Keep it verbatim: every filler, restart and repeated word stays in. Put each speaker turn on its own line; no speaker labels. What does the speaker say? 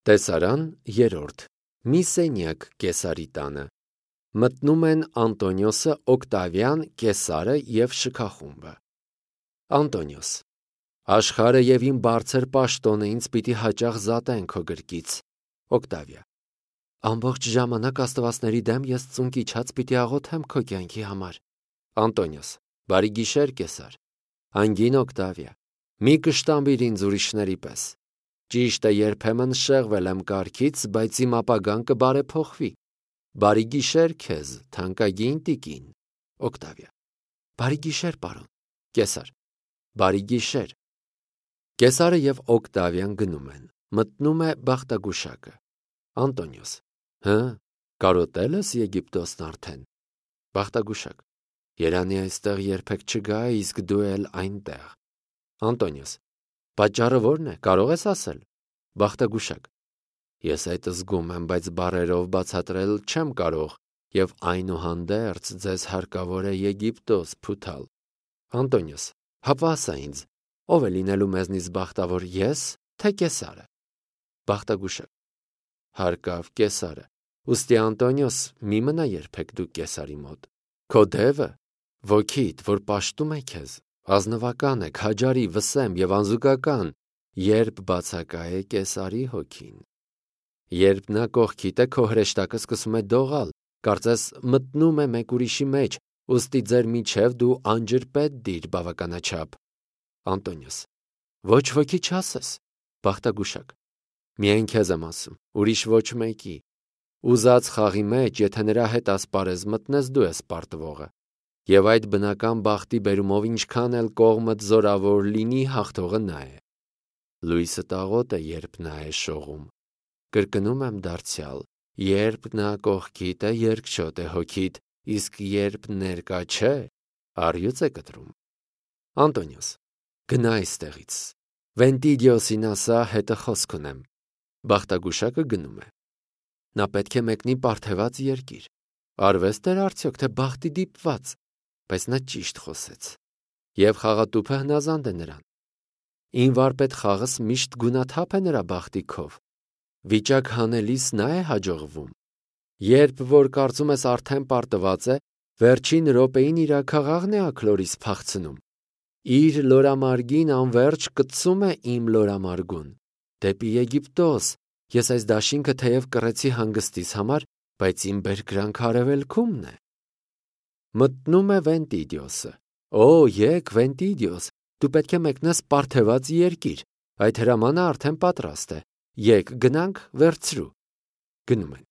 Տեսարան երրորդ. Մի սենյակ Կեսարի տանը։ Մտնում են Անտոնիոսը, Օկտավիան, Կեսարը և շքախումբը։ Անտոնիոս. Աշխարհը և իմ բարձր պաշտոնը ինձ պիտի հաճախ զատեն քո գրկից։ Օկտավիա. ամբողջ ժամանակ աստվածների դեմ ես ծունկ իջած պիտի աղոթեմ քո կյանքի համար։ Անտոնիոս. բարի գիշեր, Կեսար։ Անգին Օկտավիա. մի կշտամբիր ինձ ուրիշների պես։ Ճիշտ է, երբեմն շեղվել եմ կարգից, բայց իմ ապագան կբարեփոխվի։ Բարի գիշեր քեզ, թանկագին տիկին։ Օկտավիա. բարի գիշեր, պարոն։ Կեսար. բարի գիշեր։ Կեսարը և Օկտավիան գնում են։ Մտնում է բախտագուշակը։ Անտոնիոս. հը, կարոտե՞լ ես Եգիպտոսն արդեն։ Բախտագուշակ. երանի այստեղ երբեք չգա, իսկ դու էլ այնտեղ։ Անտոնիոս. պատճառը ո՞րն է, կարող ես ասել։ Բախտագուշակ. ես այդ զգում եմ, բայց բառերով բացատրել չեմ կարող, և այնուհանդերձ ձեզ հարկավոր է Եգիպտոս փութալ։ Անտոնիոս. հապա ասա ինձ, ով է լինելու մեզնից բախտավոր, ես, թե Կեսարը։ Բախտագուշակ. հարկավ Կեսարը։ Ուստի Անտոնիոս, մի մնա երբեք դու Կեսարի մոտ։ Քո դևը, ոգիդ, որ պաշտում է քեզ, ազնվական է, քաջարի, վսեմ և անզուգական, երբ բացակա է Կեսարի հոգին։ Երբ նա կողքիդ է, քո հրեշտակը սկսում է դողալ, կարծես մտնում է մեկ ուրիշի մեջ, ուստի ձեր միջև դու անջրպետ դիր բավականաչափ։ Անտոնիոս. ոչ ոքի չասես։ Բախտագուշակ. միայն քեզ եմ ասում, ուրիշ ոչ մեկի։ Ուզած խաղի մեջ, եթե նրա հետ ասպարեզ մտնես, դու ես պարտվողը։ Եվ այդ բնական բախտի բերումով ինչքան էլ կողմդ զորավոր լինի, հաղթողը նա է։ Լույսը տաղոտ է, երբ նա է շողում։ Կրկնում եմ դարձյալ, երբ նա կողքիդ է, երկչոտ է հոգիդ, իսկ երբ ներկա չէ, առյուծ է կտրում։ Անտոնիոս. գնա այստեղից։ Վենտիդիոսին ասա, հետը խոսք ունեմ։ Բախտագուշակը գնում է։ Նա պետք է մեկնի պարթևած երկիր։ Արվեստ էր արդյոք, թե բախտի դիպված, բայց նա ճիշտ խոսեց։ Եվ խաղատուփը հնազանդ է նրան։ Իմ վարպետ խաղս միշտ գունաթափ է նրա բախտի քով։ Վիճակ հանելիս նա է հաջողվում։ Երբ որ կարծում ես արդեն պարտված է, վերջին րոպեին իր աքաղաղն է աքլորիս փախցնում։ Իր լորամարգին անվերջ կծում է իմ լորամարգուն։ Դեպի Եգիպտոս, ես այս դաշինքը թեև կռեցի հանգստիս համար, բայց իմ բերկրանքը արևելքումն է։ Մտնում է Վենտիդիոսը. Օ, եկ Վենտիդիոս, դու պետք է մեկնես պարթևած երկիր, այդ հրամանը արդեն պատրաստ է, եկ գնանք վերցրու։ Գնում են։